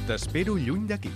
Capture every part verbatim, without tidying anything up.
T'espero lluny d'aquí.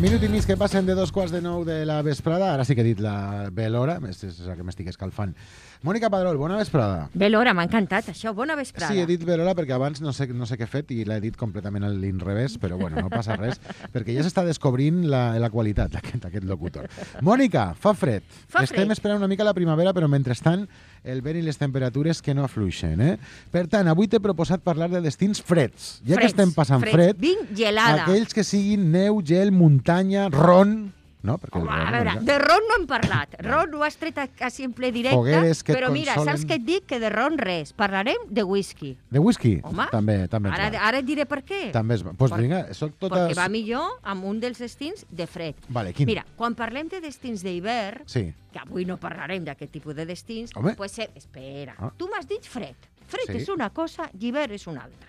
Minut i mig que passen de dos quarts de nou de la vesprada. Ara sí que he dit la bé l'hora, és la que m'estic escalfant. Mònica Padrol, bona vesprada. Bé l'hora, m'ha encantat això, bona vesprada. Sí, he dit bé l'hora perquè abans no sé, no sé què he fet i l'he dit completament a l'inrevés, però bueno, no passa res, perquè ja s'està descobrint la, la qualitat d'aquest, aquest locutor. Mònica, fa fred. Fa Estem fred. esperant una mica la primavera, però mentrestant el vent i les temperatures que no afluixen. Eh? Per tant, avui t'he proposat parlar de destins freds. Ja Freds, que estem passant freds. fred, Vinc gelada. aquells que siguin neu, gel, muntanya, ron... No, perquè el Home, ron, a veure, no, de ron no hem parlat. Ron ho has tret quasi en ple directe, Fogueres que et però mira, consolen. saps què et dic? Que de ron res. Parlarem de whisky. De whisky? Home, també, també ens Ara, va. ara et diré per què. També es va. Pues Per- vinga, soc tota... Perquè va millor amb un dels destins de fred. Vale, quin? Mira, quan parlem de destins d'hivern, Sí. que avui no parlarem d'aquest tipus de destins, Home. pues, eh, espera, Ah. tu m'has dit fred. Fred Sí. és una cosa i hivern és una altra.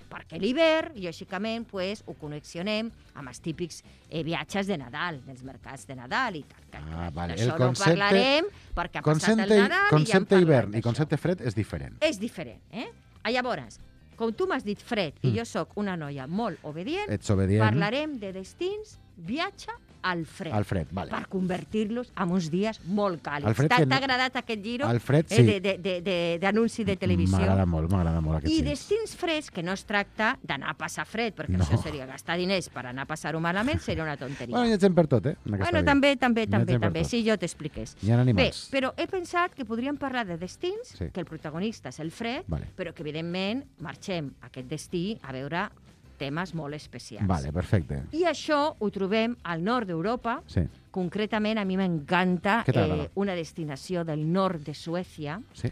Perquè l'hivern, lògicament, pues, ho connexionem amb els típics eh, viatges de Nadal, dels mercats de Nadal i tal. Que, Ah, que vale. D'això El no concepte- parlarem perquè ha passat Concepte, el Nadal i ja en concepte parlarem hivern i d'això. concepte fred és diferent. És diferent, eh? Ah, llavors, com tu m'has dit fred i Mm. jo sóc una noia molt obedient, Ets obedient parlarem de destins viatge al fred. al fred, vale. Per convertir-los en uns dies molt càlids. Al fred T'ha que no- t'ha agradat aquest giro Al fred, eh, sí. de- de- de- de- d'anunci de, televisió? M'agrada molt, m'agrada molt aquest I sí. destins freds, que no es tracta d'anar a passar fred, perquè No. això seria gastar diners per anar a passar-ho malament, seria una tonteria. Bueno, hi ha gent per tot, eh? en aquesta Bueno, vida. també, també, Hi ha també, gent per també, tot. si jo t'expliqués. Hi ha Bé, animals. però he pensat que podríem parlar de destins, Sí. que el protagonista és el fred, Vale. però que, evidentment, marxem a aquest destí a veure temes molt especials. Vale, perfecte. I això ho trobem al nord d'Europa. Sí, Concretament, a mi m'encanta Què t'agrada? eh, una destinació del nord de Suècia, sí.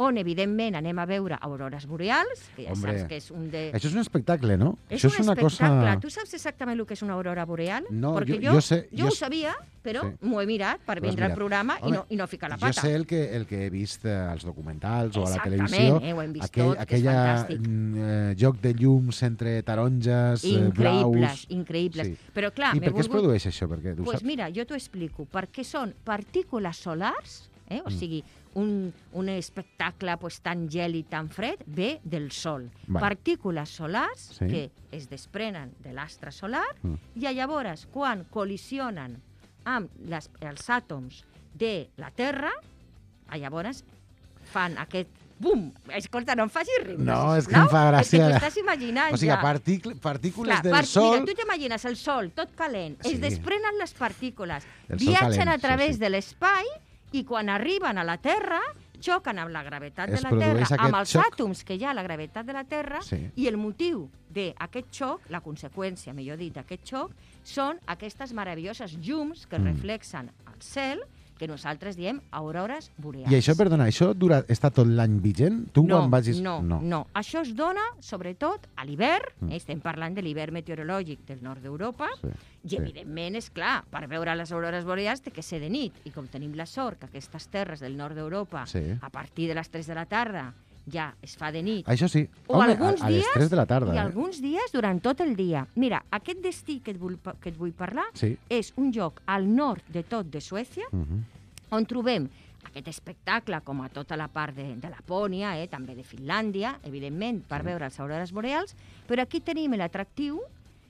on, evidentment, anem a veure aurores boreals, que ja Hombre, saps que és un de... Això és un espectacle, no? És Això un és una espectacle. cosa... Tu saps exactament el que és una aurora boreal? No, Perquè jo- jo, jo sé- jo jo ho s- sabia, però Sí. m'ho he mirat per Ho has vindre al mirat. programa i Home, no, i no ficar la Jo pata. sé el que, el que he vist eh, als documentals o a la Exactament, televisió. eh, ho hem vist aquell, tot, que és aquella fantàstic. mm, eh, joc de llums entre taronges, eh, Increïbles, blaus... increïbles. Sí. Però, clar, I m'he per què es volgut- produeix això? Perquè, tu Pues saps? mira, jo t'ho explico. Perquè són partícules solars, eh? o Mm. sigui, un, un espectacle pues, tan gèlid, tan fred, ve del Sol. Vale. Partícules solars Sí. que es desprenen de l'astre solar Mm. i llavors, quan col·lisionen amb les, els àtoms de la Terra, ah, llavors fan aquest bum! Escolta, no em facis riure, No, és que sisplau. em fa gràcia. És que t'ho estàs imaginant O sigui, ja. partícul partícules Clar, del part- sol... Mira, tu t'imagines el sol tot calent, Sí. es desprenen les partícules, El sol viatgen calent, a sí, través sí. de l'espai i quan arriben a la Terra xoquen amb la gravetat Es de la Terra, produeix amb aquest els xoc. àtoms que hi ha a la gravetat de la Terra, Sí. i el motiu d'aquest xoc, la conseqüència, millor dit, d'aquest xoc, són aquestes meravelloses llums que Mm. reflexen al cel, que nosaltres diem aurores boreals. I això, perdona, això dura, està tot l'any vigent? Tu No, quan vagis... no, no, no. Això es dona, sobretot, a l'hivern. Mm. Eh? Estem parlant de l'hivern meteorològic del nord d'Europa. Sí, I, sí. evidentment, és clar, per veure les aurores boreals té que ser de nit. I com tenim la sort que aquestes terres del nord d'Europa, Sí. a partir de les tres de la tarda, ja es fa de nit. Això sí. O Home, alguns a, a les dies, tres de la tarda. I eh? alguns dies durant tot el dia. Mira, aquest destí que et vull, pa- que et vull parlar Sí. és un lloc al nord de tot de Suècia, Uh -huh. on trobem aquest espectacle, com a tota la part de, de Lapònia, eh, també de Finlàndia, evidentment, per Sí. veure les aurores boreals, però aquí tenim l'atractiu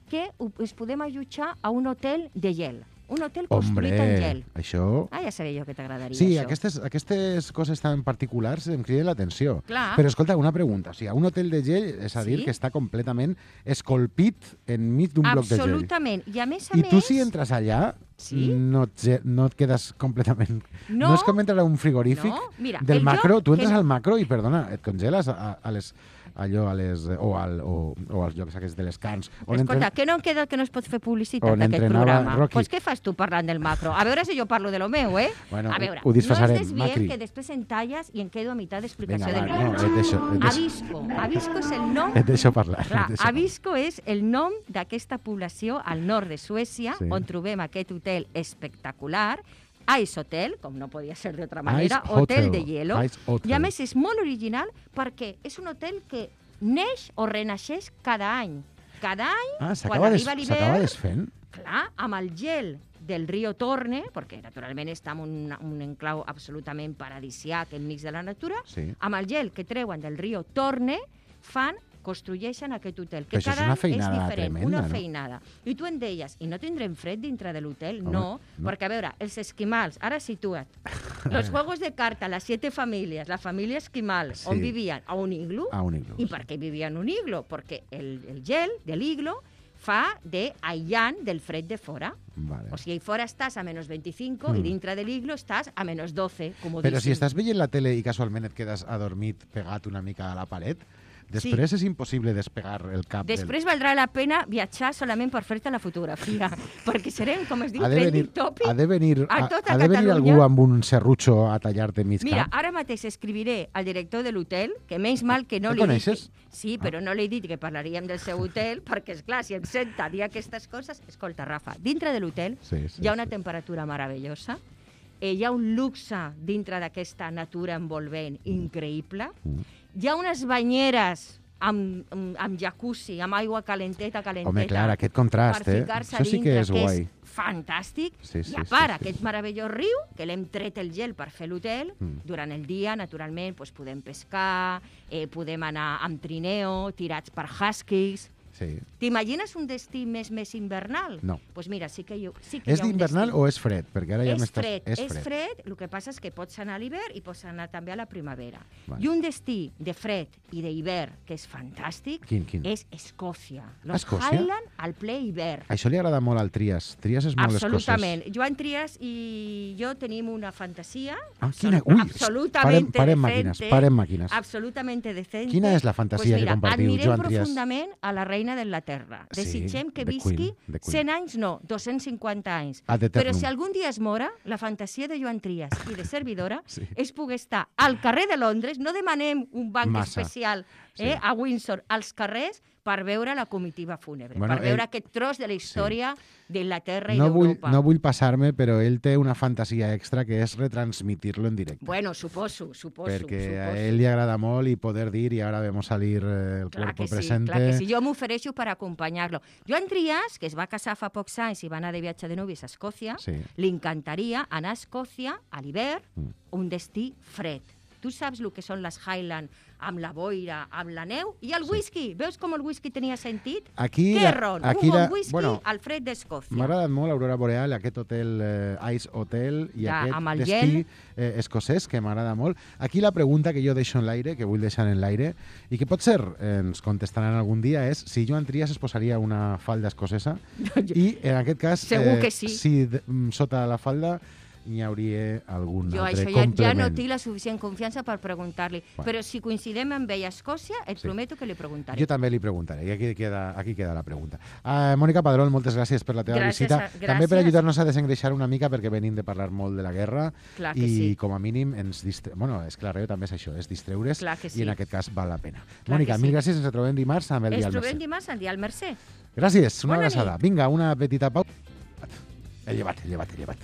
que ho- es podem allotjar a un hotel de gel, un hotel construït en Hombre, gel. això... Ah, ja sabia jo que t'agradaria Sí, això. aquestes, aquestes coses tan particulars em criden l'atenció. Clar. Però escolta, una pregunta. O sigui, un hotel de gel, és a dir, Sí. que està completament escolpit enmig d'un bloc de gel. Absolutament. I a més a I més... tu si entres allà, Sí. no, et, ge- no et quedes completament... No. no és com entrar a un frigorífic No, mira, del el macro. lloc Tu entres que- al macro i, perdona, et congeles a, a les allò a les, o, al, o, o als llocs aquests de les cans. On Escolta, entren- que no em queda que no es pot fer publicitat On d'aquest entrenava programa. Doncs Rocky. pues què fas tu parlant del macro? A veure si jo parlo de lo meu, eh? Bueno, a ho- veure, ho disfressarem, no es desviem Macri. que després en talles i em quedo a meitat d'explicació Vinga, del va, no, viatge. et deixo, et deixo, Avisco. Avisco és el nom... et deixo parlar. Clar, et deixo parlar. Avisco és el nom d'aquesta població al nord de Suècia, Sí. on trobem aquest hotel espectacular, Ice Hotel, com no podia ser d'altra manera, Ice hotel Hotel, de hielo. Ice Hotel. I a més és molt original perquè és un hotel que neix o renaixeix cada any. Cada any, Ah, quan s'acaba des, arriba s'acaba l'hivern, desfent? clar, amb el gel del riu Torne, perquè naturalment està en un, un enclau absolutament paradisiac enmig de la natura, Sí. amb el gel que treuen del riu Torne fan construeixen aquest hotel, Però que això és cada una any és feinada diferent, tremenda, una no? feinada. I tu em deies, i no tindrem fred dintre de l'hotel? Home, No, no. perquè, a veure, els esquimals, ara situa't, los juegos de carta, las siete familias, la familia esquimal, Sí. on vivien? A un iglu. A un iglú. I per què vivien en un iglo? Perquè el, el gel de l'iglo fa d'aïllant del fred de fora. Vale. O sigui, fora estàs a menys vint-i-cinc Mm. i dintre de l'iglo estàs a menys dotze, comodíssim. Però si estàs veient la tele i casualment et quedes adormit pegat una mica a la paret, després és impossible despegar el cap Després valdrà la pena viatjar solament per fer-te la fotografia, perquè serem, com es diu, del... Ha de venir, trending topic ha de venir, a ha, tota ha de venir Catalunya. algú amb un serrutxo a tallar-te mig Mira, cap. ara mateix escriviré al director de l'hotel, que menys mal que no El li dic... coneixes? Sí, però no li he dit que parlaríem del seu hotel, perquè, és clar, si em senta dir aquestes coses... Escolta, Rafa, dintre de l'hotel Sí, sí, hi ha una sí. temperatura meravellosa, eh, hi ha un luxe dintre d'aquesta natura envolvent increïble, Mm. hi ha unes banyeres amb, amb, amb jacuzzi, amb aigua calenteta, calenteta. Home, clar, aquest contrast, per eh? ficar-se Això sí dintre, que és guai. fantàstic. Sí, sí, I a sí, part, sí, aquest sí. meravellós riu, que l'hem tret el gel per fer l'hotel, Mm. durant el dia, naturalment, doncs, podem pescar, eh, podem anar amb trineo, tirats per huskies... Sí. T'imagines un destí més més invernal? No. Doncs pues mira, sí que, jo, sí que És hi ha un d'hivernal destí. o és fred? Perquè ara ja És m'estàs... fred, és fred, el que passa és que pots anar a l'hivern i pots anar també a la primavera. Vale. I un destí de fred i d'hivern que és fantàstic Quin, quin? és Escòcia. Los Escòcia? Highland al ple hivern. Això li agrada molt al Trias. Trias és molt Absolutament. Joan Trias i jo tenim una fantasia Ah, quina... absolut- Ui, absolutamente parem, parem decente. màquines, parem màquines. Absolutamente decente. Quina és la fantasia pues que mira, compartiu, admirem Joan Trias? profundament a la reina d'Anglaterra. Sí, Desitgem que the visqui Queen, the Queen. cent anys, no, dos-cents cinquanta anys. Ad Però eternum. si algun dia es mora, la fantasia de Joan Trias i de servidora Sí. és poder estar al carrer de Londres, no demanem un banc Massa. especial Sí. eh, a Windsor, als carrers, per veure la comitiva fúnebre, Bueno, per veure ell- aquest tros de la història d'Inglaterra i No vull, d'Europa. no vull passar-me, però ell té una fantasia extra que és retransmitir-lo en directe. Bueno, suposo, suposo. perquè suposo. a ell li agrada molt i poder dir i ara vemos salir eh, el Clar cuerpo que sí, presente. clar que sí. Jo m'ofereixo per acompanyar-lo. Joan Trias, que es va casar fa pocs anys i va anar de viatge de núvies a Escòcia, Sí. li encantaria anar a Escòcia a l'hivern, Mm. un destí fred. Tu saps el que són les Highland amb la boira, amb la neu i el Sí. whisky. Veus com el whisky tenia sentit? Aquí Què la- ron? aquí un bon la- whisky bueno, al fred d'Escòcia. M'ha agradat molt l'Aurora Boreal, aquest hotel eh, Ice Hotel i Ja, aquest amb el destí gel. eh, escocès, que m'agrada molt. Aquí la pregunta que jo deixo en l'aire, que vull deixar en l'aire, i que potser eh, ens contestaran algun dia, és si Joan Trias es posaria una falda escocesa i, en aquest cas, Segur que sí. si de, mm, sota la falda n'hi hauria algun Jo altre això ja, ja complement. no tinc la suficient confiança per preguntar-li. Bueno. Però si coincidem amb ell a Escòcia, et Sí. prometo que li preguntaré. Jo també li preguntaré, i aquí queda, aquí queda la pregunta. Uh, Mònica Padrón, moltes gràcies per la teva Gràcies visita. a- També per gràcies. ajudar-nos a desengreixar una mica, perquè venim de parlar molt de la guerra Clar que i, sí. com a mínim, ens distre... bueno, és que la ràdio també és això, és distreure's, Clar que sí. i en aquest cas val la pena. Clar Mònica, que sí. mil gràcies, ens trobem dimarts amb el Ens Dial trobem Mercè. dimarts al Dial Mercè. Gràcies, una Bona abraçada. nit. Vinga, una petita pausa. He llevat, he llevat, he llevat.